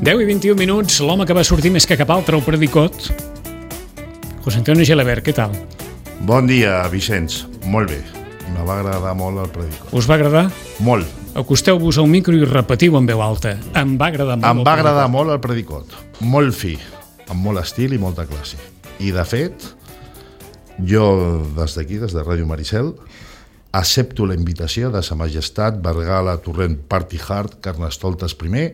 10 i 21 minuts, l'home que va sortir més que cap altre al Predicot. José Antonio Gelabert, què tal? Bon dia, Vicenç. Molt bé. Me va agradar molt el Predicot. Us va agradar? Molt. Acosteu-vos al micro i repetiu en veu alta. Em va agradar molt. Em va agradar molt el Predicot. Molt fi, amb molt estil i molta classe. I, de fet, jo, des d'aquí, des de Ràdio Maricel, accepto la invitació de Sa Majestat Bergala Torrent Party Hard Carnestoltes I,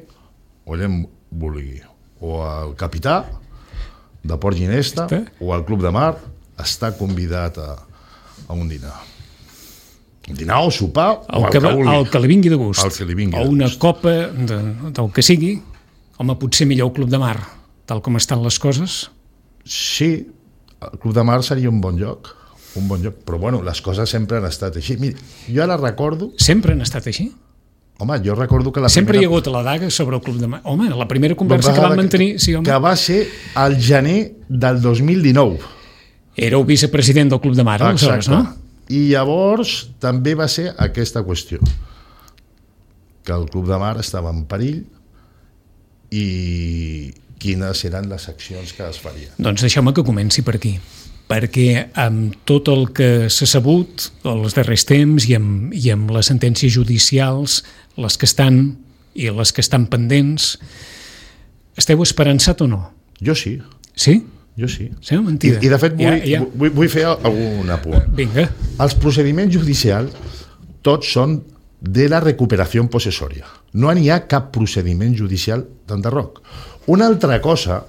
o allà vulgui, o el capità de Port Ginesta, o el Club de Mar, està convidat a un dinar. Un dinar o sopar, o el que vulgui. El que li vingui de gust. El que li vingui de o una gust. copa del que sigui. Home, potser millor el Club de Mar, tal com estan les coses. Sí, el Club de Mar seria un bon lloc, però bueno, les coses sempre han estat així. Mira, jo ara recordo... Sempre han estat així? Home, jo recordo que sempre hi ha hagut la daga sobre el Club de Mar. Home, la primera conversa que vam mantenir... Sí, home. Que va ser al gener del 2019. Éreu vicepresident del Club de Mar, aleshores, no? I llavors també va ser aquesta qüestió, que el Club de Mar estava en perill i quines eren les accions que es farien. Doncs deixeu-me que comenci per aquí, perquè amb tot el que s'ha sabut els darrers temps i amb les sentències judicials, les que estan i les que estan pendents, esteu esperançat o no? Jo sí. Sí? Jo sí. Sí, mentida. I de fet vull fer algun apunt. Vinga. Els procediments judicials tots són de la recuperació possessòria. No n'hi ha cap procediment judicial d'enderroc. Una altra cosa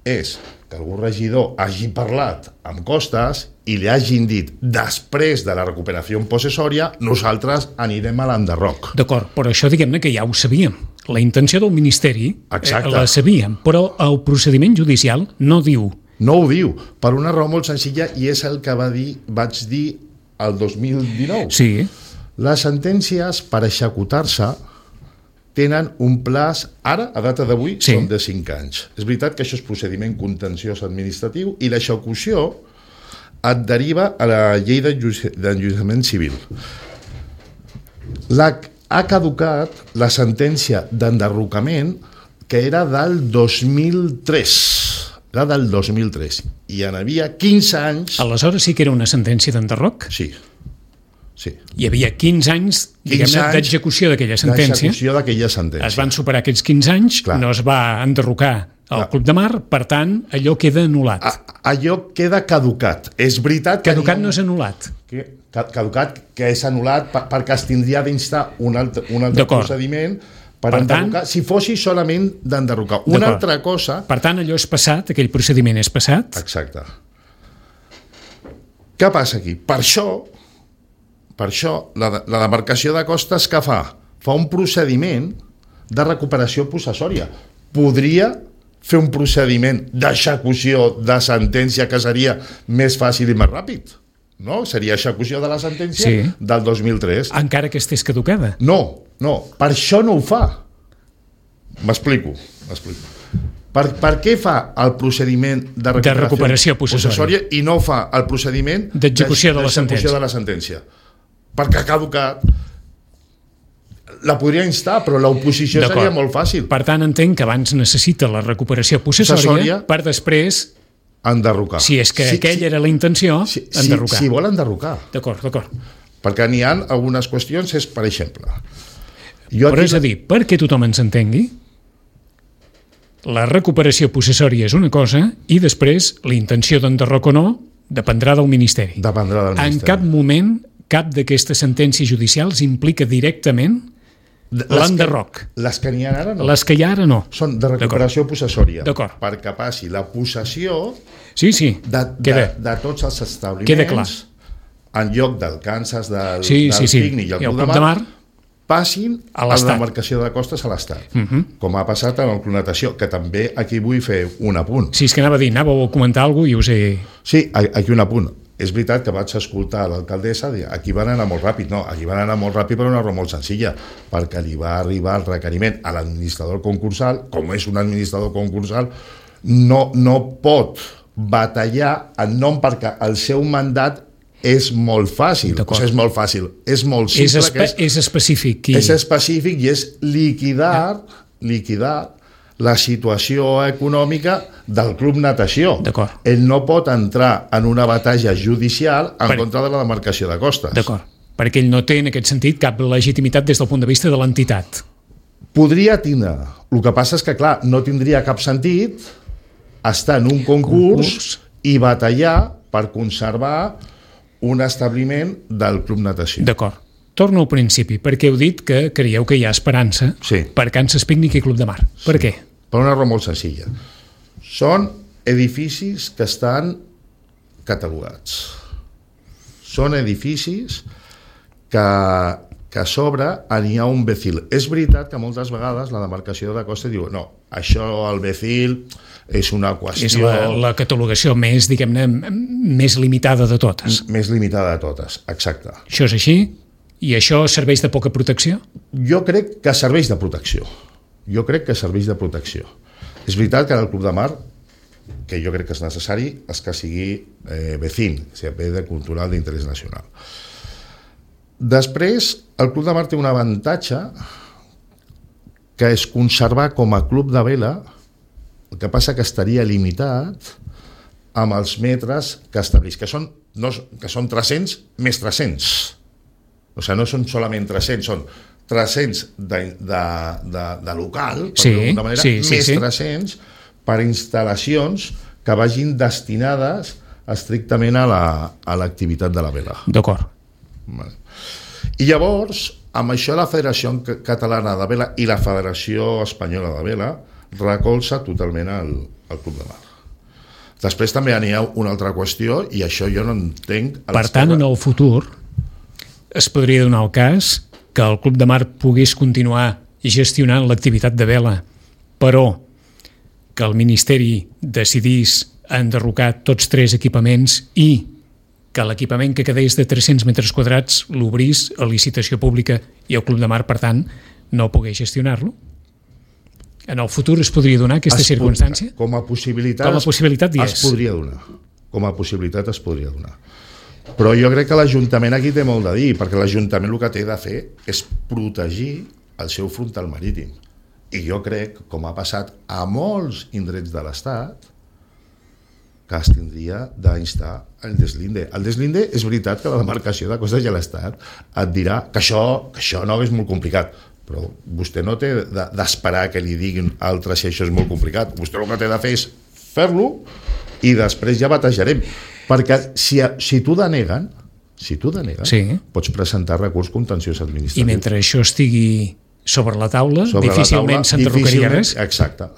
és que algun regidor hagi parlat amb Costas i li hagin dit després de la recuperació possessòria nosaltres anirem a l'enderroc. D'acord, però això diguem-ne que ja ho sabíem. La intenció del Ministeri la sabíem, però el procediment judicial no diu. No ho diu, per una raó molt senzilla, i és el que vaig dir el 2019. Sí. Les sentències per executar-se tenen un plaç, ara, a data d'avui, són de 5 anys. És veritat que això és procediment contenciós administratiu i l'execució et deriva a la llei d'enjudiciament civil. Ha caducat la sentència d'enderrocament que era del 2003. Era del 2003. I en havia 15 anys... Aleshores sí que era una sentència d'enderroc? Sí. Hi havia 15 anys d'execució d'aquella sentència. Es van superar aquests 15 anys, no es va enderrocar el Club de Mar, per tant, allò queda anul·lat. Allò queda caducat. És veritat que... Caducat no és anul·lat. Caducat que és anul·lat perquè es tindria d'instar un altre procediment per enderrocar, si fossi solament d'enderrocar. Una altra cosa... Per tant, allò és passat, aquell procediment és passat. Exacte. Què passa aquí? Per això, la demarcació de Costas que fa un procediment de recuperació possessòria. Podria fer un procediment d'execució de sentència que seria més fàcil i més ràpid. No? Seria execució de la sentència del 2003. Encara que estés caducada. No, per això no ho fa. M'explico. Per què fa el procediment de recuperació possessòria i no fa el procediment d'execució de la sentència? Perquè ha caducat. La podria instar, però l'oposició seria molt fàcil. Per tant, entenc que abans necessita la recuperació possessòria per després enderrocar. Si és que aquella era la intenció, enderrocar. Si vol enderrocar. D'acord. Perquè n'hi ha algunes qüestions, és per exemple... Però és a dir, perquè tothom ens entengui, la recuperació possessòria és una cosa i després la intenció d'enderroc o no dependrà del Ministeri. En cap moment cap d'aquestes sentències judicials implica directament l'enderroc. Les que n'hi ha ara no. Les que hi ha ara no. Són de recuperació possessòria. Perquè passi la possessió de tots els establiments en lloc del Kansas, del Picnic i el Club de Mar, passin a la demarcació de Costes a l'Estat. Com ha passat en el Club Natació, que també aquí vull fer un apunt. Sí, és que anàveu a comentar alguna cosa i us he... Sí, aquí un apunt. És veritat que vaig escoltar l'alcaldessa dir aquí van anar molt ràpid. No, aquí van anar molt ràpid per una raó molt senzilla, perquè li va arribar el requeriment a l'administrador concursal, com és un administrador concursal, no pot batallar en nom perquè el seu mandat és molt fàcil. És molt fàcil. És molt simple. És específic. És específic i és liquidar la situació econòmica del club natació. Ell no pot entrar en una batalla judicial en contra de la demarcació de costes. D'acord. Perquè ell no té, en aquest sentit, cap legitimitat des del punt de vista de l'entitat. Podria tindre. El que passa és que, clar, no tindria cap sentit estar en un concurs i batallar per conservar un establiment del club natació. D'acord. Torno al principi, perquè heu dit que creieu que hi ha esperança per Kansas Picnic i Club de Mar. Per què? Per una raó molt senzilla. Són edificis que estan catalogats. Són edificis que a sobre n'hi ha un BECIL. És veritat que moltes vegades la demarcació de costes diu no, això el BECIL és una qüestió... És la catalogació més, diguem-ne, més limitada de totes. Més limitada de totes, exacte. Això és així? I això serveix de poca protecció? Jo crec que serveix de protecció. És veritat que el Club de Mar, que jo crec que és necessari, és que sigui BECIN, o sigui, bé de cultural d'interès nacional. Després, el Club de Mar té un avantatge que és conservar com a club de vela. El que passa que estaria limitat amb els metres que estableix, que són 300 més 300. O sigui, no són solament 300, són 300 de local, per d'alguna manera, més 300 per instal·lacions que vagin destinades estrictament a l'activitat de la vela. D'acord. I llavors, amb això la Federació Catalana de Vela i la Federació Espanyola de Vela recolza totalment el Club de Mar. Després també hi ha una altra qüestió, i això jo no entenc... Per tant, en el futur es podria donar el cas que el Club de Mar pogués continuar gestionant l'activitat de vela, però que el Ministeri decidís enderrocar tots 3 equipaments i que l'equipament que quedés de 300 metres quadrats l'obrís a licitació pública i el Club de Mar, per tant, no pogués gestionar-lo? En el futur es podria donar aquesta circumstància? Com a possibilitat es podria donar. Com a possibilitat es podria donar. Però jo crec que l'Ajuntament aquí té molt de dir, perquè l'Ajuntament el que té de fer és protegir el seu frontal marítim. I jo crec, com ha passat a molts indrets de l'Estat, que es tindria d'instar el deslinde. El deslinde és veritat que la demarcació de costes i l'Estat et dirà que això no és molt complicat, però vostè no té d'esperar que li diguin altres si això és molt complicat. Vostè el que té de fer és fer-lo i després ja batejarem. Perquè si t'ho deneguen, pots presentar recurs contenciós administratiu. I mentre això estigui sobre la taula, difícilment s'enderrocaria res. Exacte.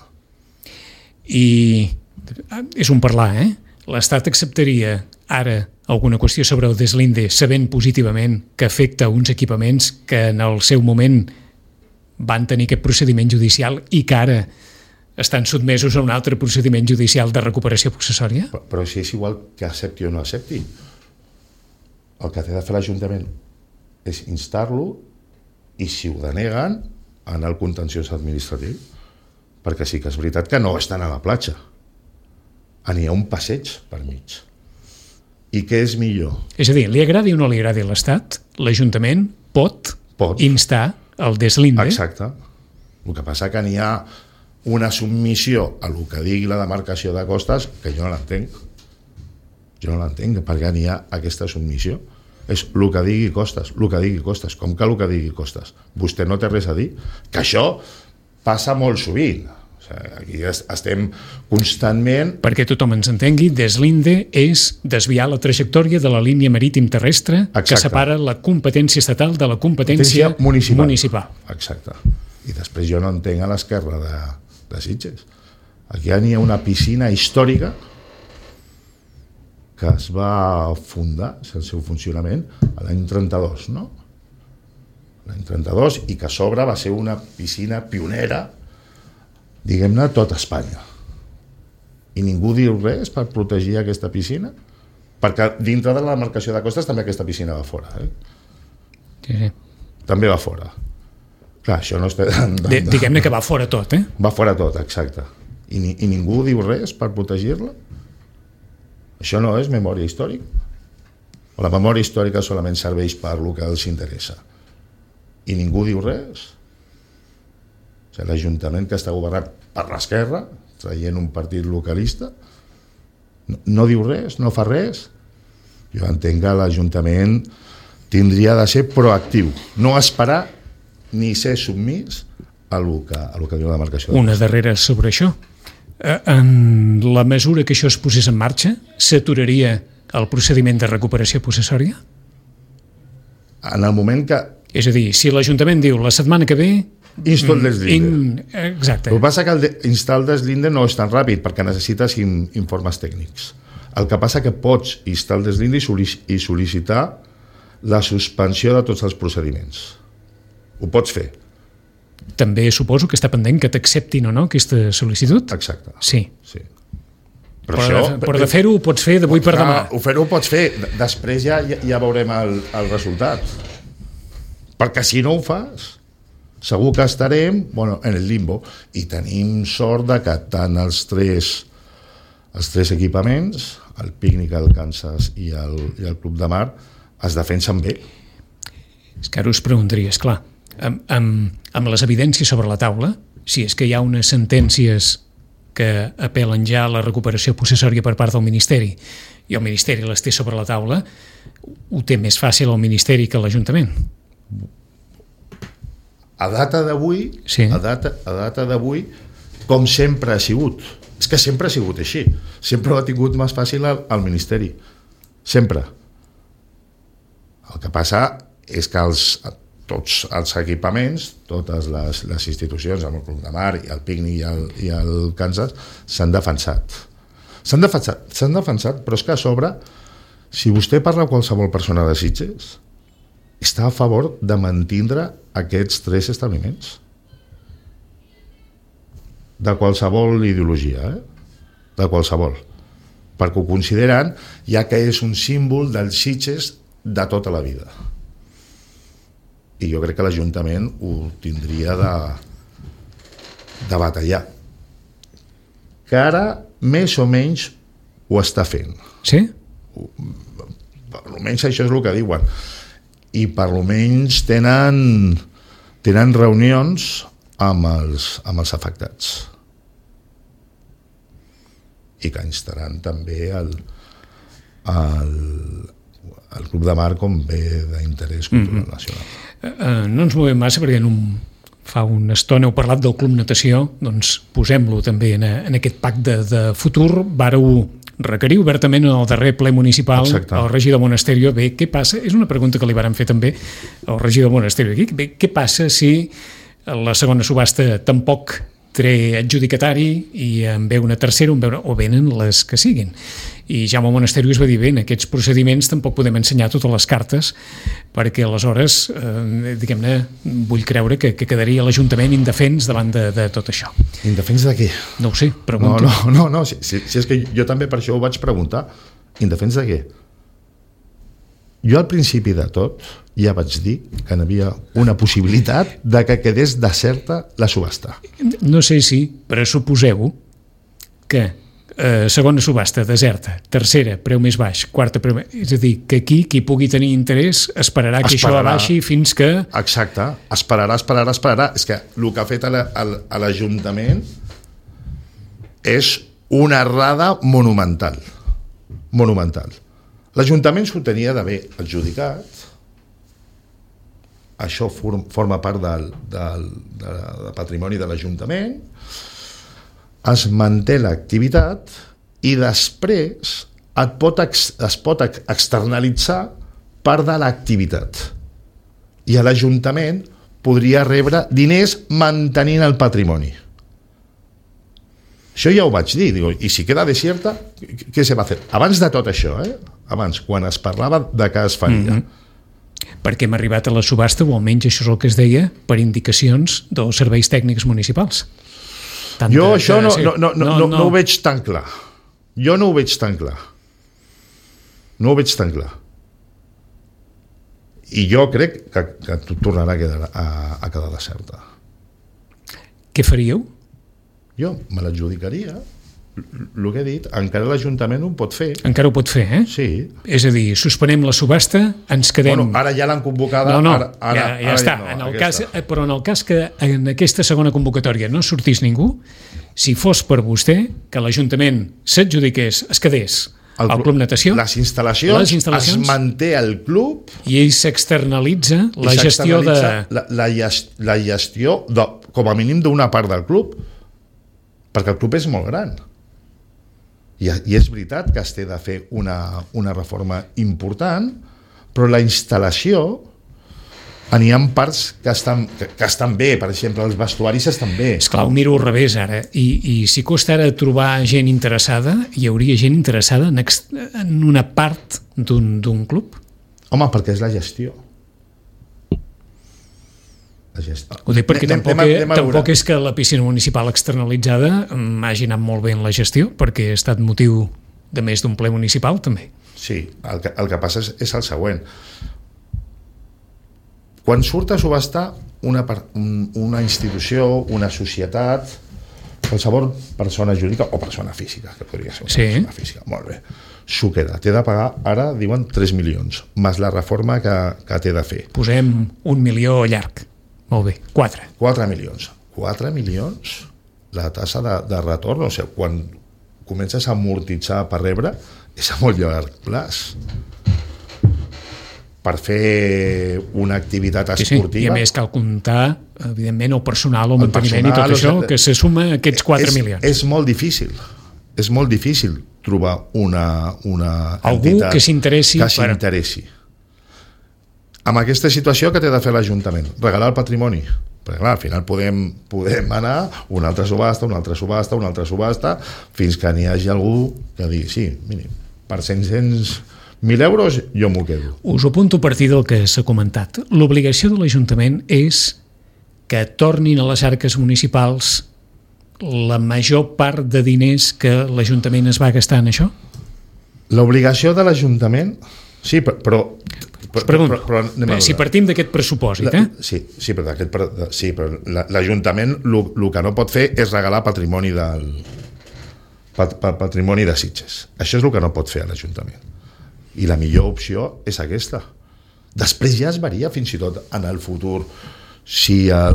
I és un parlar, L'Estat acceptaria ara alguna qüestió sobre el deslinde sabent positivament que afecta uns equipaments que en el seu moment van tenir aquest procediment judicial i que ara estan sotmesos a un altre procediment judicial de recuperació possessòria? Però si és igual que accepti o no accepti. El que té de fer l'Ajuntament és instar-lo i si ho deneguen anar al contenciós administratiu, perquè sí que és veritat que no estan a la platja. N'hi ha un passeig per mig. I què és millor? És a dir, li agradi o no li agradi a l'Estat, l'Ajuntament pot instar el deslinde. Exacte. El que passa que n'hi ha una submissió a el que digui la demarcació de costes que jo no l'entenc. Jo no l'entenc, perquè n'hi ha aquesta submissió. És el que digui costes, Com que el que digui costes? Vostè no té res a dir? Que això passa molt sovint. Aquí estem constantment... Perquè tothom ens entengui, deslinde és desviar la trajectòria de la línia marítim terrestre que separa la competència estatal de la competència municipal. Exacte. I després jo no entenc a l'esquerra de Sitges. Aquí hi ha una piscina històrica que es va fundar, el seu funcionament, l'any 32, no? L'any 32, i que a sobre va ser una piscina pionera, diguem-ne, tot Espanya. I ningú diu res per protegir aquesta piscina? Perquè dintre de la demarcació de costes també aquesta piscina va fora. Sí. També va fora. Clar, això no està... Diguem-ne que va fora tot, Va fora tot, exacte. I ningú diu res per protegir-la? Això no és memòria històrica? La memòria històrica solament serveix per el que els interessa. I ningú diu res. O sigui, l'Ajuntament que està governat per l'esquerra, traient un partit localista, no diu res, no fa res. Jo entenc que l'Ajuntament tindria de ser proactiu, no esperar ni ser submís a lo que diu la demarcació. Una darrera sobre això. En la mesura que això es posés en marxa, s'aturaria el procediment de recuperació possessòria? En el moment que... És a dir, si l'Ajuntament diu la setmana que ve... Insto el deslinde. Exacte. El que passa que instar el deslinde no és tan ràpid perquè necessites informes tècnics. El que passa que pots instar el deslinde i sol·licitar la suspensió de tots els procediments. Ho pots fer. També suposo que està pendent que t'acceptin o no aquesta sol·licitud? Exacte. Sí. Però de fer-ho ho pots fer d'avui per demà. Fer-ho ho pots fer. Després ja veurem el resultat. Perquè si no ho fas, segur que estarem en el limbo. I tenim sort de que tant els tres equipaments, el Pícnic, el Kansas i el Club de Mar, es defensen bé. És que ara us preguntaria, esclar, amb les evidències sobre la taula, si és que hi ha unes sentències que apel·len ja a la recuperació possessòria per part del Ministeri i el Ministeri les té sobre la taula, ho té més fàcil el Ministeri que l'Ajuntament. A data d'avui, sí. a data d'avui, com sempre ha sigut. És que sempre ha sigut així. Sempre ho ha tingut més fàcil al Ministeri. Sempre. El que passa és que tots els equipaments, totes les institucions, el Club de Mar, el Pícnic i el Kansas, s'han defensat. S'han defensat, però és que a sobre, si vostè parla amb qualsevol persona de Sitges, està a favor de mantindre aquests tres establiments. De qualsevol ideologia, de qualsevol. Perquè ho consideren, ja que és un símbol dels Sitges de tota la vida. I jo crec que l'Ajuntament ho tindria de batallar. Que ara, més o menys, ho està fent. Sí? Almenys això és el que diuen. I per almenys tenen reunions amb els afectats. I que instaran també el Club de Mar com bé d'interès cultural nacional. No ens movem massa perquè fa una estona heu parlat del Club Natació, doncs posem-lo també en aquest pacte de futur. Vàreu requerir obertament en el darrer ple municipal. Exacte. Al regidor Monasterio. Bé, què passa? És una pregunta que li varen fer també al regidor Monasterio aquí. Bé, què passa si la segona subhasta tampoc té adjudicatari i en ve una tercera o venen les que siguin? I Jaume Monasterio es va dir, bé, en aquests procediments tampoc podem ensenyar totes les cartes perquè aleshores, diguem-ne, vull creure que quedaria l'Ajuntament indefens davant de tot això. Indefens de què? No ho sé, pregunto. No, si és que jo també per això ho vaig preguntar. Indefens de què? Jo al principi de tot ja vaig dir que hi havia una possibilitat de que quedés deserta la subhasta. No sé si, però suposeu que segona subhasta deserta, tercera preu més baix, quarta preu més... És a dir, que aquí qui pugui tenir interès esperarà que això abaixi fins que... Exacte, esperarà. És que el que ha fet a l'Ajuntament és una errada monumental. L'Ajuntament s'ho tenia d'haver adjudicat. Això forma part del patrimoni de l'Ajuntament. Es manté l'activitat i després es pot externalitzar part de l'activitat. I l'Ajuntament podria rebre diners mantenint el patrimoni. Això ja ho vaig dir, i si queda desierta, què se va fer? Abans de tot això, abans, quan es parlava de què es faria. Perquè hem arribat a la subhasta, o almenys això és el que es deia, per indicacions dels serveis tècnics municipals. Jo això no ho veig tan clar. Jo no ho veig tan clar. I jo crec que tornarà a quedar deserta. Què faríeu? Jo me l'adjudicaria el que he dit, encara l'Ajuntament ho pot fer. Encara ho pot fer, eh? Sí. És a dir, suspenem la subhasta, ens quedem... Bueno, ara ja l'han convocada. No, ara ja està. Però en el cas que en aquesta segona convocatòria no sortís ningú, si fos per vostè que l'Ajuntament s'adjudiqués, es quedés al Club Natació, les instal·lacions es manté al club i ell s'externalitza la gestió de... La gestió, com a mínim, d'una part del club, perquè el club és molt gran. I és veritat que es té de fer una reforma important, però la instal·lació n'hi ha parts que estan bé, per exemple, els vestuaris estan bé. Esclar, ho miro al revés ara, i si costa ara trobar gent interessada, hi hauria gent interessada en una part d'un club? Home, perquè és la gestió. Ho dic perquè tampoc és que la piscina municipal externalitzada hagi anat molt bé en la gestió, perquè ha estat motiu de més d'un ple municipal, també. Sí, el que passa és el següent. Quan surt a subhastar una institució, una societat, qualsevol persona jurídica o persona física, que podria ser una persona física, molt bé, s'ho queda. Té de pagar, ara diuen 3 milions, més la reforma que té de fer. Posem 1 milió llarg. Molt bé, 4 milions. 4 milions? La tassa de retorn, o sigui, quan comences a amortitzar per rebre, és a molt llarg plaç. Per fer una activitat esportiva... I a més cal comptar, evidentment, el personal, el manteniment i tot això, que se suma a aquests 4 milions. És molt difícil. És molt difícil trobar una algú entitat que s'interessi. Amb aquesta situació, que té de fer l'Ajuntament? Regalar el patrimoni. Perquè clar, al final podem anar una altra subhasta, fins que n'hi hagi algú que digui, sí, mínim, per 500.000 euros jo m'ho quedo. Us ho apunto a partir del que s'ha comentat. L'obligació de l'Ajuntament és que tornin a les arques municipals la major part de diners que l'Ajuntament es va gastar en això? L'obligació de l'Ajuntament... Sí, però si partim d'aquest pressupòsit, però l'Ajuntament el que no pot fer és regalar patrimoni de Sitges. Això és el que no pot fer l'Ajuntament. I la millor opció és aquesta. Després ja es varia fins i tot en el futur si hi ha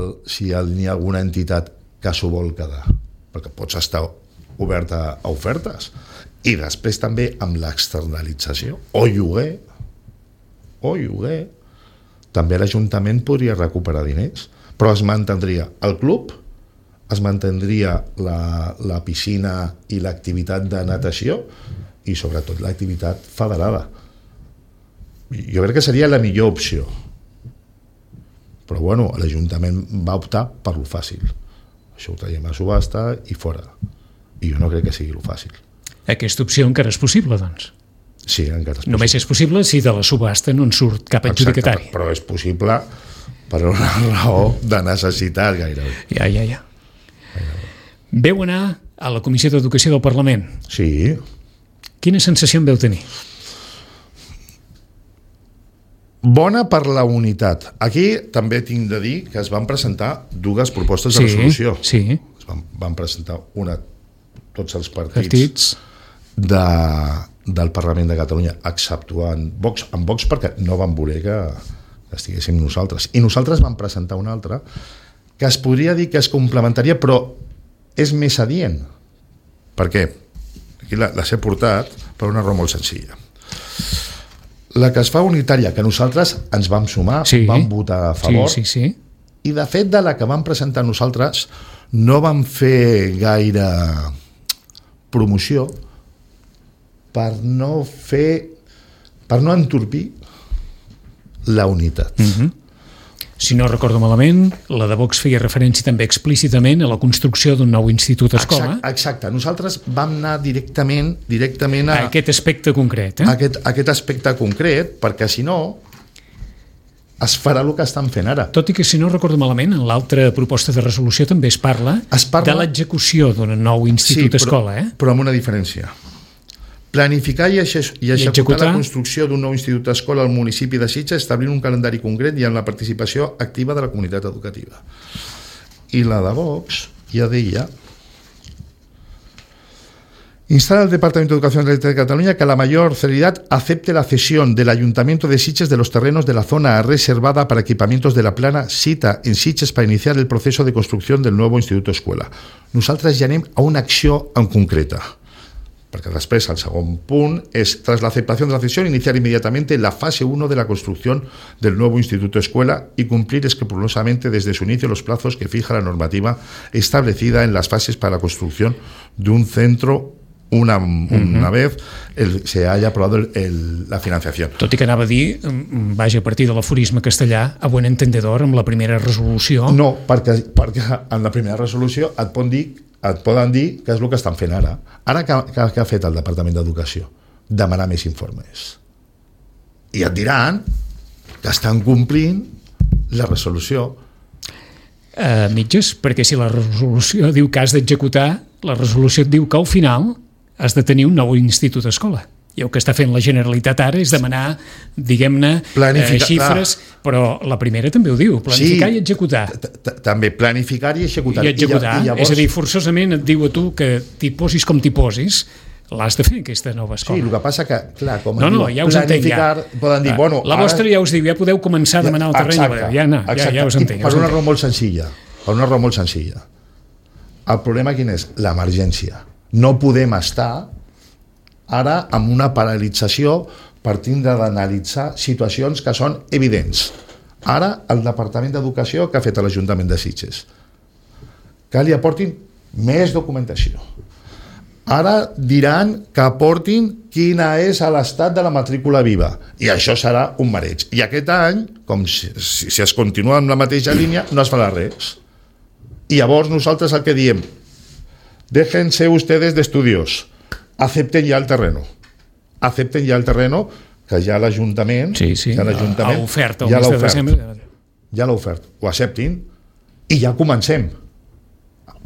alguna entitat que s'ho vol quedar, perquè pots estar oberta a ofertes. I després també amb l'externalització o lloguer, també l'Ajuntament podria recuperar diners, però es mantindria el club, es mantindria la piscina i l'activitat de natació i sobretot l'activitat federada. Jo crec que seria la millor opció, però bueno, l'Ajuntament va optar per lo fàcil. Això ho traiem a subhasta i fora, i jo no crec que sigui lo fàcil. Aquesta opció encara és possible, doncs? Sí, encara és possible. Només és possible si de la subhasta no en surt cap adjudicatari. Exacte, però és possible per una raó de necessitat gairebé. Ja. Veu anar a la Comissió d'Educació del Parlament? Sí. Quina sensació en veu tenir? Bona per la unitat. Aquí també tinc de dir que es van presentar dues propostes de resolució. Sí. Van presentar una tots els partits del Parlament de Catalunya, exceptuant Vox, perquè no van voler que estiguéssim nosaltres. I nosaltres vam presentar una altra que es podria dir que és complementària, però és més adient. Per què? Aquí les he portat per una raó molt senzilla. La que es fa unitària, que nosaltres ens vam sumar, vam votar a favor, i de fet de la que vam presentar nosaltres no vam fer gaire promoció per no entorpir la unitat. Si no recordo malament, la de Vox feia referència també explícitament a la construcció d'un nou institut escola. Exacte. Nosaltres vam anar directament a aquest aspecte concret. Aquest aspecte concret, perquè si no es farà el que estan fent ara. Tot i que, si no recordo malament, en l'altra proposta de resolució també es parla de l'execució d'un nou institut escola. Però amb una diferència. Planificar i executar la construcció d'un nou institut escola al municipi de Sitges, establint un calendari concret i amb la participació activa de la comunitat educativa. I la de Vox ja deia Instala al Departamento de Educación de Cataluña que a la mayor celeridad acepte la cesión del Ayuntamiento de Sitges de los terrenos de la zona reservada para equipamientos de la plana cita en Sitges para iniciar el proceso de construcció del nou Institut Escuela. Nosaltres ja anem a una acció en concreta, perquè després el segon punt és, tras la aceptación de la cesión, iniciar inmediatamente la fase 1 de la construcción del nuevo Instituto Escuela y cumplir escrupulosamente desde su inicio los plazos que fija la normativa establecida en las fases para la construcción de un centro una vez se haya aprobado la financiación. Tot i que anava a dir, vaja, a partir de l'aforisme castellà, a buen entendedor, amb la primera resolució... No, perquè en la primera resolució et poden dir què és el que estan fent ara. Ara què ha fet el Departament d'Educació? Demanar més informes. I et diran que estan complint la resolució. Mitges, perquè si la resolució diu que has d'executar, la resolució et diu que al final has de tenir un nou institut escola. I el que està fent la Generalitat ara és demanar, diguem-ne, xifres, però la primera també ho diu, planificar i executar. També, planificar i executar. I executar, és a dir, forçosament et diu a tu que t'hi posis com t'hi posis, l'has de fer, aquesta nova escola. Sí, el que passa que, clar, com ja us entenc, poden dir, bueno... La vostra ja us diu, ja podeu començar a demanar el terreny, ja us entenc. Per una raó molt senzilla. El problema quin és? L'emergència. No podem estar ara amb una paralització per tindre d'analitzar situacions que són evidents. Ara, el Departament d'Educació, que ha fet l'Ajuntament de Sitges, que li aportin més documentació. Ara diran que aportin quina és l'estat de la matrícula viva, i això serà un mareig. I aquest any, com si es continua amb la mateixa línia, no es farà res. I llavors nosaltres el que diem, déjense ustedes de estudios, acepten ya el terreno, que ja l'Ajuntament ha ofert el mes de desembre, ja l'ha ofert, ho acceptin i ja comencem,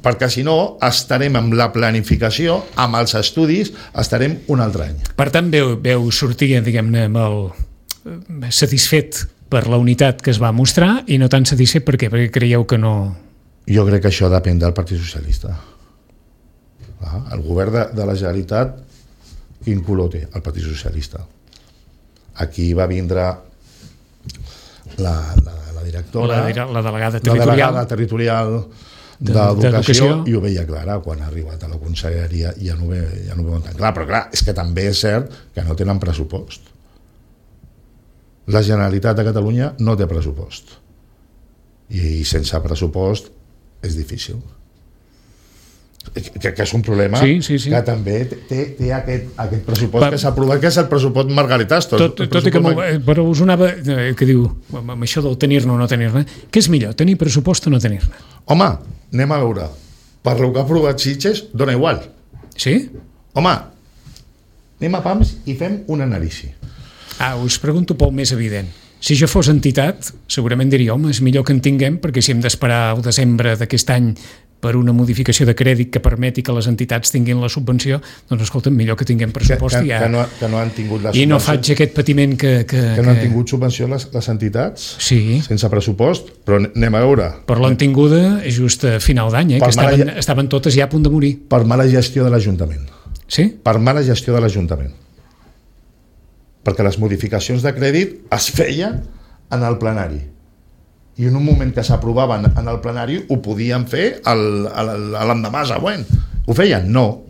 perquè si no estarem amb la planificació, amb els estudis estarem un altre any. Per tant veu sortir, diguem-ne, amb el satisfet per la unitat que es va mostrar i no tan satisfet perquè creieu que no... Jo crec que això depèn del Partit Socialista. El govern de la Generalitat, quin color té? El Partit Socialista. Aquí va vindre la directora, la delegada territorial d'Educació, i ho veia clara. Quan ha arribat a la conselleria ja no ho veuen tan clar, però clar, és que també és cert que no tenen pressupost. La Generalitat de Catalunya no té pressupost, i sense pressupost és difícil. Que és un problema que també té aquest pressupost que s'ha aprovat, que és el pressupost Margaritastro. Tot i que però us anava que diu, amb això del tenir-ne o no tenir-ne, què és millor, tenir pressupost o no tenir-ne? Home, anem a veure, per lo que ha aprovat Sitges dona igual. Sí? Home, anem a PAMS i fem una anàlisi. Us pregunto pel més evident. Si jo fos entitat, segurament diria, home, és millor que en tinguem, perquè si hem d'esperar al desembre d'aquest any per una modificació de crèdit que permeti que les entitats tinguin la subvenció, doncs escolta'm, millor que tinguem pressupost que no han tingut la subvenció. I no faig aquest patiment que no han tingut subvenció les entitats? Sí. Sense pressupost? Però anem a veure. Per l'han tinguda just a final d'any, que estaven totes ja a punt de morir. Per mala gestió de l'Ajuntament. Sí? Per mala gestió de l'Ajuntament. Perquè les modificacions de crèdit es feien en el plenari. I en un moment que s'aprovaven en el plenari ho podien fer l'endemà següent. Ho feien? No.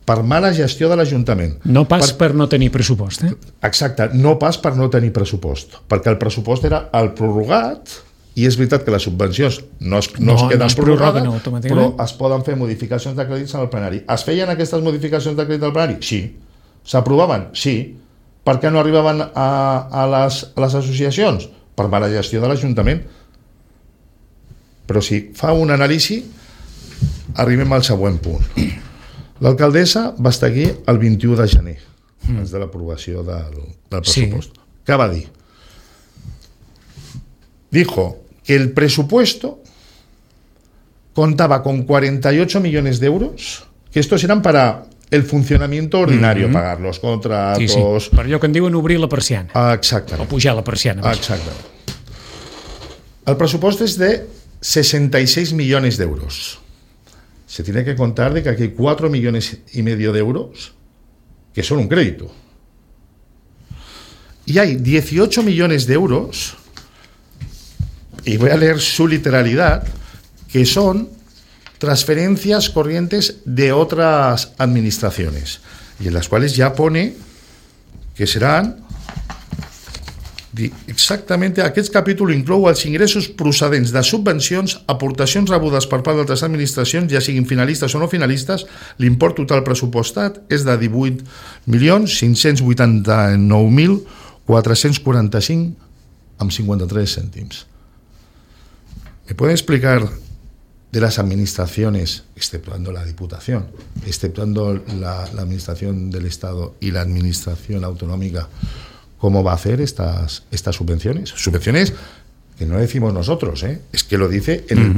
Per mala gestió de l'Ajuntament. No pas per no tenir pressupost, Exacte, no pas per no tenir pressupost, perquè el pressupost era el prorrogat, i és veritat que les subvencions no es queden prorrogades, però es poden fer modificacions de crèdits en el plenari. Es feien aquestes modificacions de crèdit al plenari? Sí. S'aprovaven? Sí. Per què no arribaven a les associacions? Per mala gestió de l'Ajuntament. Però si fa una anàlisi, arribem al següent punt. L'alcaldessa va estar aquí el 21 de gener, abans de l'aprovació del pressupost. Sí. Què va dir? Dijo que el presupuesto contaba con 48 millones de euros, que estos eran para el funcionamiento ordinario, pagar los contratos... Sí. Per allò que en diuen obrir la persiana. Exactament. O pujar la persiana. Exactament. El pressupost és de 66 millones d'euros. se tiene que contar de que aquí hay 4,5 millones de euros que son un crédito. Y hay 18 millones de euros, y voy a leer su literalidad, que son transferencias corrientes de otras administraciones, y en las cuales ya pone que seran exactament aquest capítol inclou els ingressos procedents de subvencions, aportacions rebudes per part d'altres administracions, ja siguin finalistes o no finalistes. L'import total pressupostat és de 18.589.445,53 cèntims. ¿Me pueden explicar de las administraciones, exceptuando la Diputación, exceptuando la Administración del Estado y la Administración Autonómica, cómo va a hacer estas subvenciones? Subvenciones que no decimos nosotros, es que lo dice en el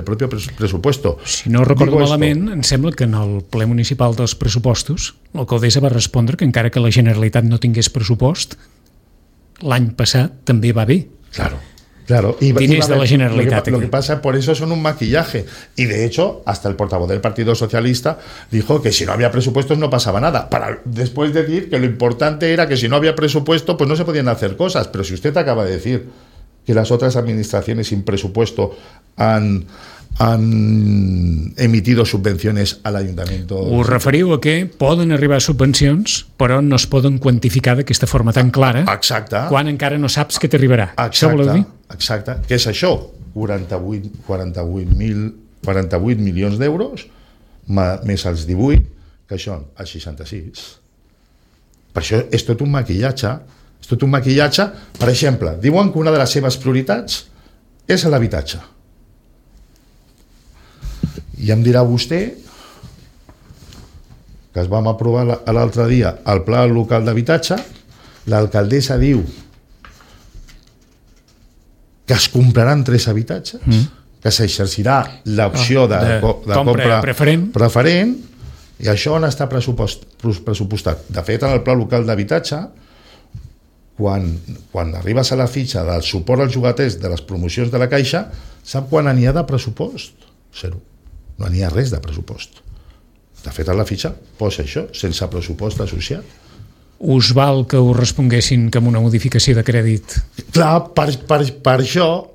propio presupuesto. Si no recordo malament, em sembla que en el ple municipal dels pressupostos l'alcaldessa va respondre que encara que la Generalitat no tingués pressupost, l'any passat també va bé. Claro. Y diners de la Generalitat. Lo que pasa, por eso son un maquillaje. Y de hecho, hasta el portavoz del Partido Socialista dijo que si no había presupuestos no pasaba nada. Para después decir que lo importante era que si no había presupuesto, pues no se podían hacer cosas. Pero si usted acaba de decir que las otras administraciones sin presupuesto han emitido subvenciones al Ayuntamiento... Us referiu a que poden arribar subvencions, però no es poden quantificar d'aquesta forma tan clara. Exacte. Quan encara no saps què t'arribarà. Això voleu dir? Exacte. Què és això? 48 milions d'euros més els 18, que són els 66. Per això és tot un maquillatge. És tot un maquillatge. Per exemple, diuen que una de les seves prioritats és l'habitatge. I em dirà vostè que es vam aprovar l'altre dia el pla local d'habitatge, l'alcaldessa diu que es compraran 3 habitatges, que s'exercirà l'opció de compra preferent, i això on està pressupostat? De fet, en el pla local d'habitatge, quan arribes a la fitxa del suport als llogaters de les promocions de la Caixa, sap quan n'hi ha de pressupost? 0. No n'hi ha res de pressupost. De fet, a la fitxa posa això, sense pressupost associat. Us val que us responguessin que amb una modificació de crèdit? Clar, per això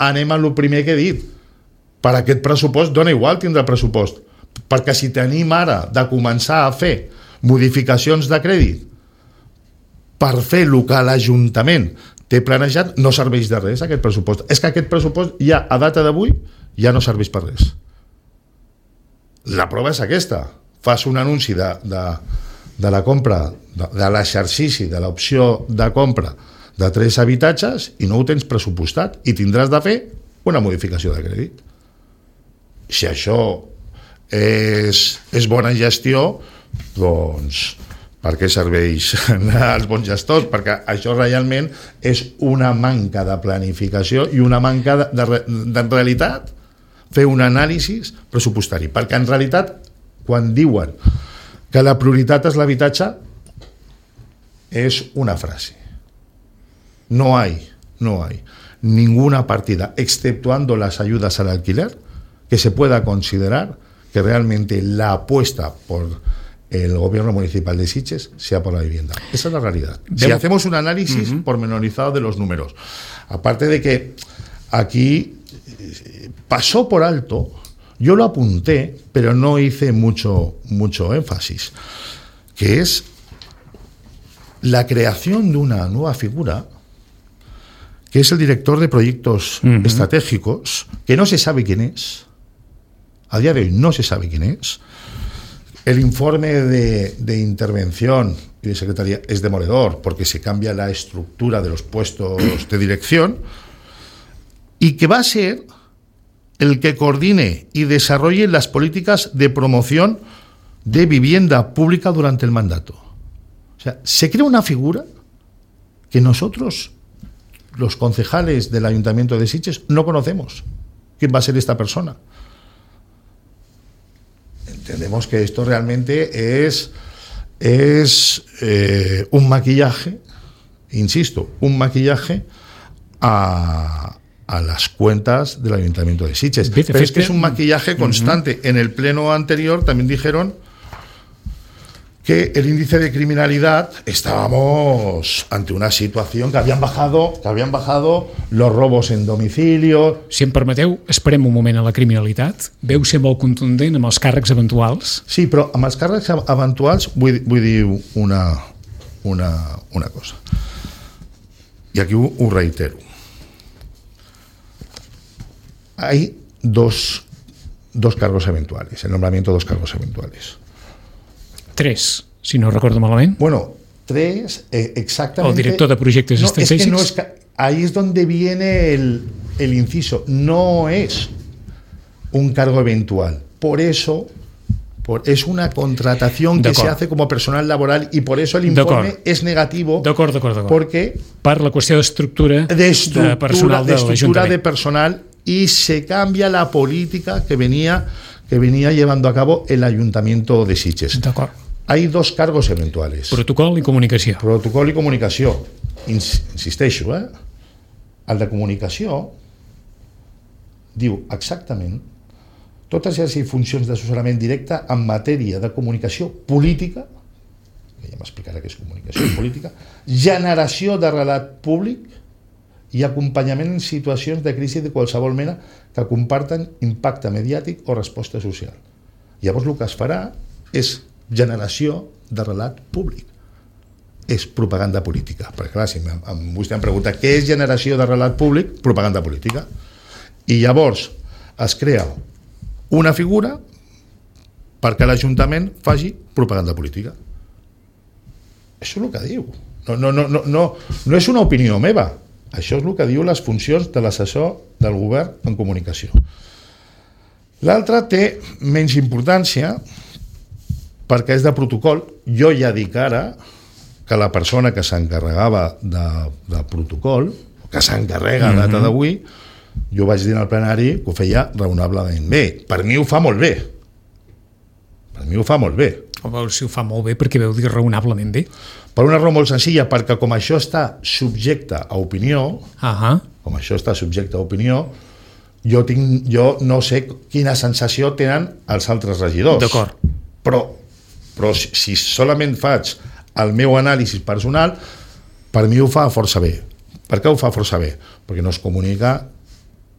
anem a lo primer que he dit. Per aquest pressupost dona igual tindre pressupost, perquè si tenim ara de començar a fer modificacions de crèdit per fer el que l'Ajuntament té planejat, no serveix de res aquest pressupost. És que aquest pressupost ja, a data d'avui, ja no serveix per res. La prova és aquesta. Fas un anunci de la compra, de l'exercici de l'opció de compra de 3 habitatges i no ho tens pressupostat i tindràs de fer una modificació de crèdit. Si això és bona gestió, doncs per què serveix als bons gestors? Perquè això realment és una manca de planificació i una manca de realitat, fer un anàlisi pressupostari, perquè en realitat quan diuen que la prioritat és l'habitatge és una frase. No hay ninguna partida, exceptuando las ayudas al alquiler, que se pueda considerar que realmente la apuesta por el gobierno municipal de Sitges sea por la vivienda. Esa es la realidad. Si hacemos un análisis pormenorizado de los números, aparte de que aquí pasó por alto, yo lo apunté, pero no hice mucho énfasis, que es la creación de una nueva figura, que es el director de proyectos estratégicos, que no se sabe quién es, a día de hoy no se sabe quién es. El informe de intervención y de secretaría es demoledor, porque se cambia la estructura de los puestos de dirección, y que va a ser el que coordine y desarrolle las políticas de promoción de vivienda pública durante el mandato. O sea, se crea una figura que nosotros, los concejales del Ayuntamiento de Sitges, no conocemos. ¿Quién va a ser esta persona? Entendemos que esto realmente es un maquillaje, insisto, un maquillaje a a las cuentas del Ayuntamiento de Sitges. Pero es que es un maquillaje constante. En el pleno anterior también dijeron que el índice de criminalidad, estábamos ante una situación que habían bajado los robos en domicilio. Si em permeteu, esperem un moment a la criminalitat. Veu ser molt contundent amb els càrrecs eventuals. Sí, però amb els càrrecs eventuals vull dir una cosa. I aquí ho reitero. Hay dos cargos eventuales, el nombramiento de 2 cargos eventuales. 3, si no recordo malament. Bueno, 3, exactamente. El director de proyectos estratégicos. Es que ahí es donde viene el inciso. No es un cargo eventual. Por eso es una contratación que se hace como personal laboral y por eso el informe es negativo. D'acord. Porque per la qüestió d'estructura de personal de l'Ajuntament. De personal, y se cambia la política que venía llevando a cabo el Ayuntamiento de Sitges. D'acord. Hay 2 cargos eventuales. Protocol i comunicació. Protocol i comunicació. Insisteixo, el de comunicació diu exactament totes les funcions d'assessorament directe en matèria de comunicació política, que ja m'explicarà què és comunicació política, generació de relat públic i acompanyament en situacions de crisi de qualsevol mena que comporten impacte mediàtic o resposta social. Llavors el que es farà és generació de relat públic. És propaganda política. Perquè clar, si vostè em pregunta què és generació de relat públic, propaganda política. I llavors es crea una figura perquè l'Ajuntament faci propaganda política. Això és el que diu. No és una opinió meva. Això és el que diu les funcions de l'assessor del govern en comunicació. L'altre té menys importància perquè és de protocol. Jo ja dic ara que la persona que s'encarregava de protocol, que s'encarrega a data d'avui, jo vaig dir al plenari que ho feia raonablement bé. Per mi ho fa molt bé. O veus si ho fa molt bé perquè veu dir raonablement bé? Per una raó molt senzilla, perquè com això està subjecte a opinió, jo no sé quina sensació tenen els altres regidors. D'acord. Però si solament faig el meu anàlisi personal, per mi ho fa força bé. Per què ho fa força bé? Perquè nos comunica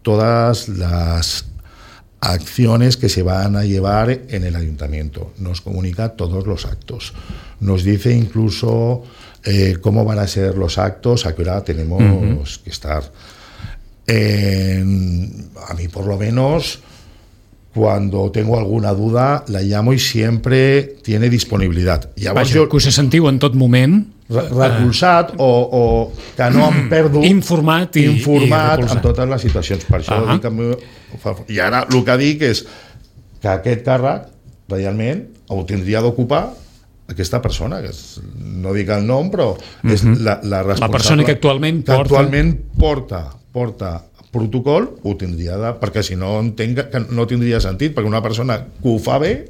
todas las acciones que se van a llevar en el ayuntamiento, nos comunica todos los actos, nos dice incluso cómo van a ser los actos, a qué hora tenemos que estar. A mí por lo menos, cuando tengo alguna duda, la llamo y siempre tiene disponibilidad. Vaja, que us sentiu en tot moment recolzat o que no em perdo informat i en totes les situacions. Per això dic que i ara el que dic és que aquest càrrec realment ho tindria d'ocupar aquesta persona, que no dic el nom, però és la responsable. La persona que actualment porta protocol, ho tindria de... perquè si no entenc que no tindria sentit, perquè una persona que ho fa bé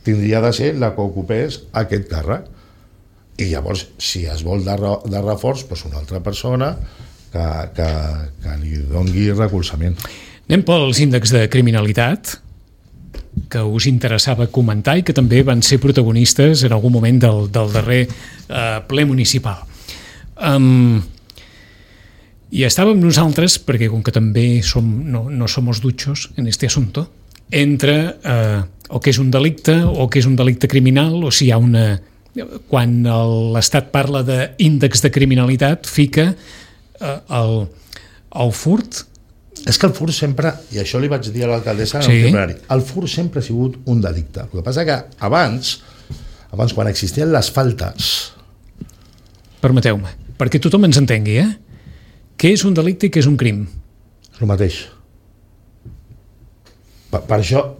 tindria de ser la que ocupés aquest càrrec. I llavors, si es vol de reforç, doncs una altra persona que li doni recolzament. Anem pels índexs de criminalitat que us interessava comentar i que també van ser protagonistes en algun moment del darrer ple municipal. I estàvem nosaltres, perquè com que també no somos duchos en este asunto, entre o que és un delicte o que és un delicte criminal, o si hi ha una... Quan l'Estat parla d'índex de criminalitat, fica el furt. És que el furt sempre, i això li vaig dir a l'alcaldessa en el plenari, el furt sempre ha sigut un delicte. El que passa que abans quan existien les faltes... Permeteu-me, perquè tothom ens entengui, què és un delicte i què és un crim? És el mateix. Per això...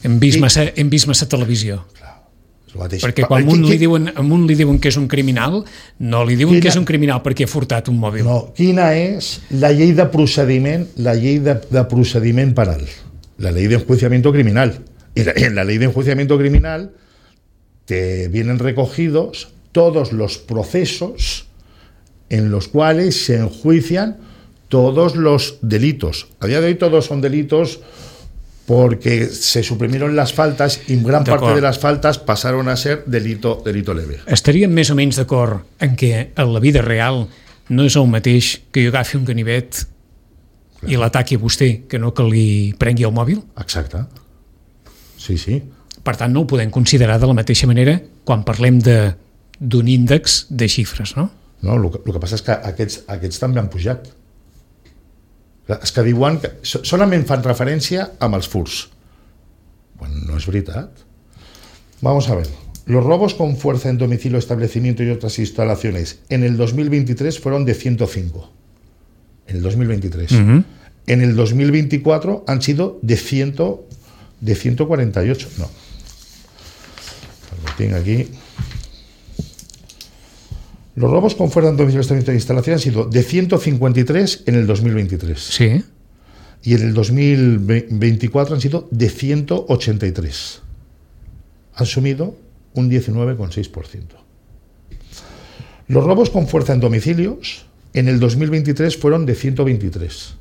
Hem vist massa televisió. Perquè quan a un li diuen que és un criminal, no li diuen que és un criminal perquè ha furtat un mòbil. No, quina és la llei de procediment, penal, la ley de enjuiciamiento criminal. Y en la ley de enjuiciamiento criminal te vienen recogidos todos los procesos en los cuales se enjuician todos los delitos. A día de hoy todos son delitos porque se suprimieron las faltas y gran parte de las faltas pasaron a ser delito leve. Estaríem més o menys d'acord en que en la vida real no és el mateix que jo agafi un ganivet i l'ataqui a vostè que no que li prengui el mòbil? Exacte. Sí, sí. Per tant, no ho podem considerar de la mateixa manera quan parlem d'un índex de xifres, no? No, el que passa és que aquests també han pujat. És que diuen que solament fan referència amb els furts. Bueno, no es veritat. Vamos a ver. Los robos con fuerza en domicilio, establecimiento y otras instalaciones en el 2023 fueron de 105. En el 2023. Uh-huh. En el 2024 han sido de 148. No. Lo tengo aquí. Los robos con fuerza en domicilio, establecimiento e instalación han sido de 153 en el 2023. Sí. Y en el 2024 han sido de 183. Han sumido un 19,6%. Los robos con fuerza en domicilios en el 2023 fueron de 123.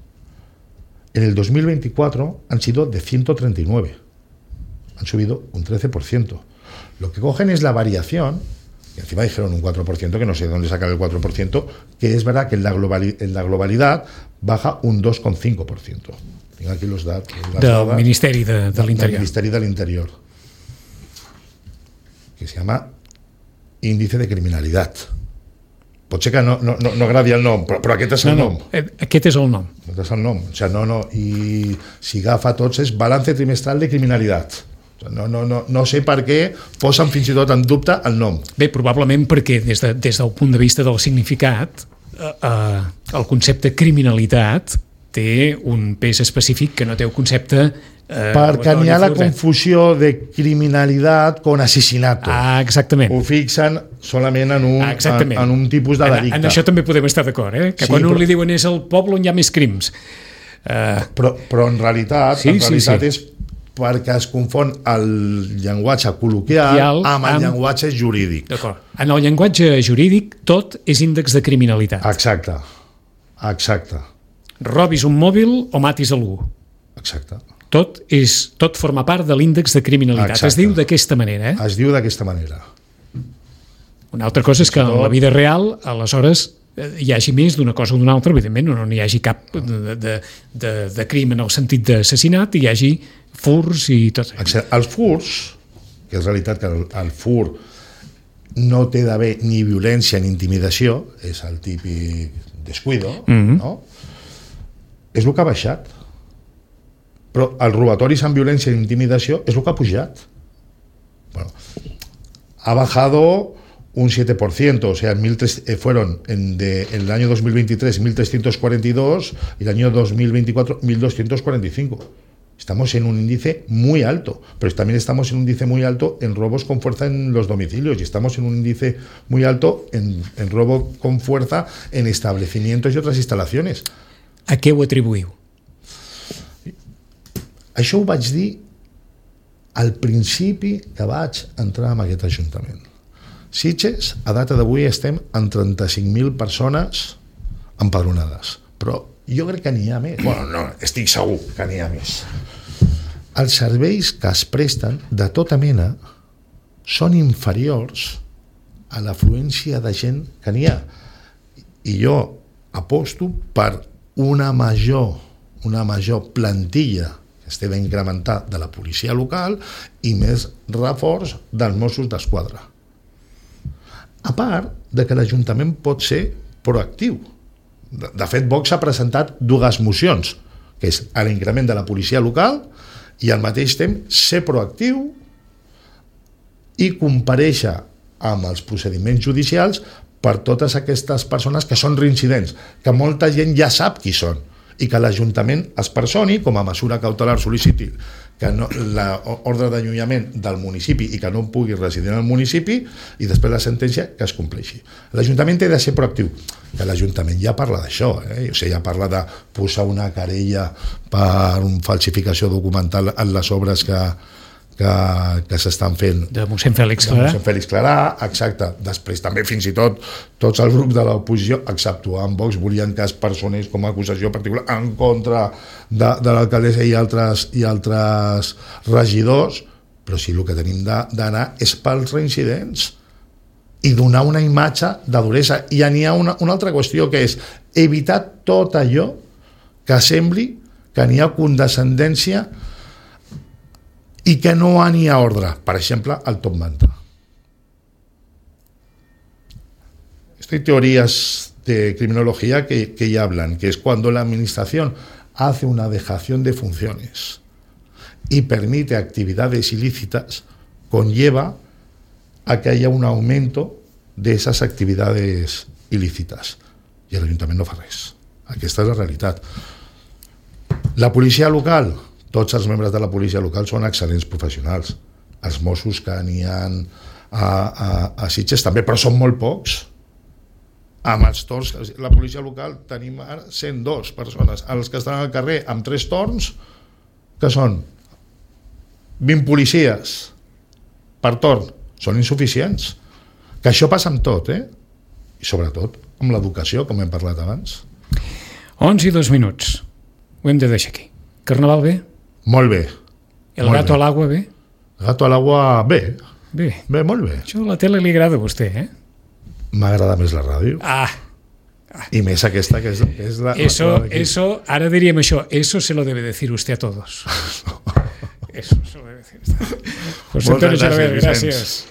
En el 2024 han sido de 139. Han subido un 13%. Lo que cogen es la variación. Y encima dijeron un 4%, que no sé de dónde sacar el 4%, que es verdad que en la globalidad baja un 2,5%. Tengo aquí los datos. Del Ministeri de l'Interior. Del Ministeri de l'Interior. Que se llama Índice de Criminalitat. Pot ser que no agradi el nom, però aquest és el nom. Aquest és el nom. Aquest és el nom. O sigui, i si agafa tots és Balance Trimestral de Criminalitat. No sé per què posen fins i tot en dubte el nom. Bé, probablement perquè des del punt de vista del significat el concepte criminalitat té un pes específic que no té el concepte perquè n'hi ha la confusió de criminalitat con asesinato. Exactament. Ho fixen solament en un tipus de delicte. En això també podem estar d'acord, que sí, quan un li diuen és el poble on hi ha més crims. Però en realitat és perquè es confon el llenguatge col·loquial amb el llenguatge jurídic. D'acord. En el llenguatge jurídic tot és índex de criminalitat. Exacte. Robis un mòbil o matis algú. Exacte. Tot forma part de l'índex de criminalitat. Exacte. Es diu d'aquesta manera. Es diu d'aquesta manera. Una altra cosa és que en la vida real, aleshores, hi hagi més d'una cosa o d'una altra, evidentment, no hi hagi cap de crim en el sentit d'assassinat, hi hagi furs i tot. Els furs, que és realitat que el fur no té d'haver ni violència ni intimidació, és el típic descuido, no? És el que ha baixat. Però els robatoris amb violència i intimidació és el que ha pujat. Bueno, ha bajado un 7%, o sea, fueron en el año 2023 1.342 y el año 2024 1.245. Estamos en un índice muy alto, pero también estamos en un índice muy alto en robos con fuerza en los domicilios y estamos en un índice muy alto en robo con fuerza en establecimientos y otras instalaciones. A què ho atribuïu? Això ho vaig dir al principi que vaig entrar en aquest Ajuntament. Sitges, a data d'avui estem en 35.000 persones empadronades, però jo crec que n'hi ha més. Bueno, no, estic segur que n'hi ha més. Els serveis que es presten de tota mena són inferiors a l'afluència de gent que n'hi ha. I jo aposto per una major plantilla que estigui a incrementar de la policia local i més reforç dels Mossos d'Esquadra. A part de que l'Ajuntament pot ser proactiu. De fet, Vox ha presentat dues mocions, que és l'increment de la policia local i al mateix temps ser proactiu i comparèixer amb els procediments judicials per totes aquestes persones que són reincidents, que molta gent ja sap qui són, i que l'Ajuntament es personi com a mesura cautelar sol·liciti que l'ordre d'allunyament del municipi i que no pugui residir en el municipi i després la sentència que es compleixi. L'Ajuntament té de ser proactiu, que l'Ajuntament ja parla d'això, o sigui, ja parla de posar una querella per una falsificació documental en les obres que s'estan fent de mossèn Fèlix Clarà. Exacte. Després també fins i tot tots els grups de l'oposició, exceptuant Vox, volien que es personés com a acusació particular en contra de l'alcaldessa i altres regidors, però sí, el que tenim d'anar és pels reincidents i donar una imatge de duresa. I n'hi ha una altra qüestió, que és evitar tot allò que sembli que n'hi ha condescendència y que no hay ordre. Por ejemplo, al top manta. Hay teorías de criminología que ya hablan, que es cuando la administración hace una dejación de funciones y permite actividades ilícitas, conlleva a que haya un aumento de esas actividades ilícitas. I l'Ajuntament no fa res. Aquesta és la realitat. La policia local, tots els membres de la policia local són excel·lents professionals. Els Mossos que n'hi ha a Sitges també, però són molt pocs. Amb els torns, la policia local tenim ara 102 persones. Els que estan al carrer amb 3 torns, que són 20 policies per torn, són insuficients. Que això passa amb tot, i sobretot amb l'educació, com hem parlat abans. 11:02. Ho hem de deixar aquí. Carnaval bé? Molt bé. El gato a l'aigua bé? El gato a l'aigua bé. Bé, molt bé. Això a la tele li agrada a vostè, M'agrada més la ràdio. I més aquesta que és la... Eso, ara diríem això, eso se lo debe decir usted a todos. Eso se lo debe decir usted. José Antonio Xalaber, gràcies.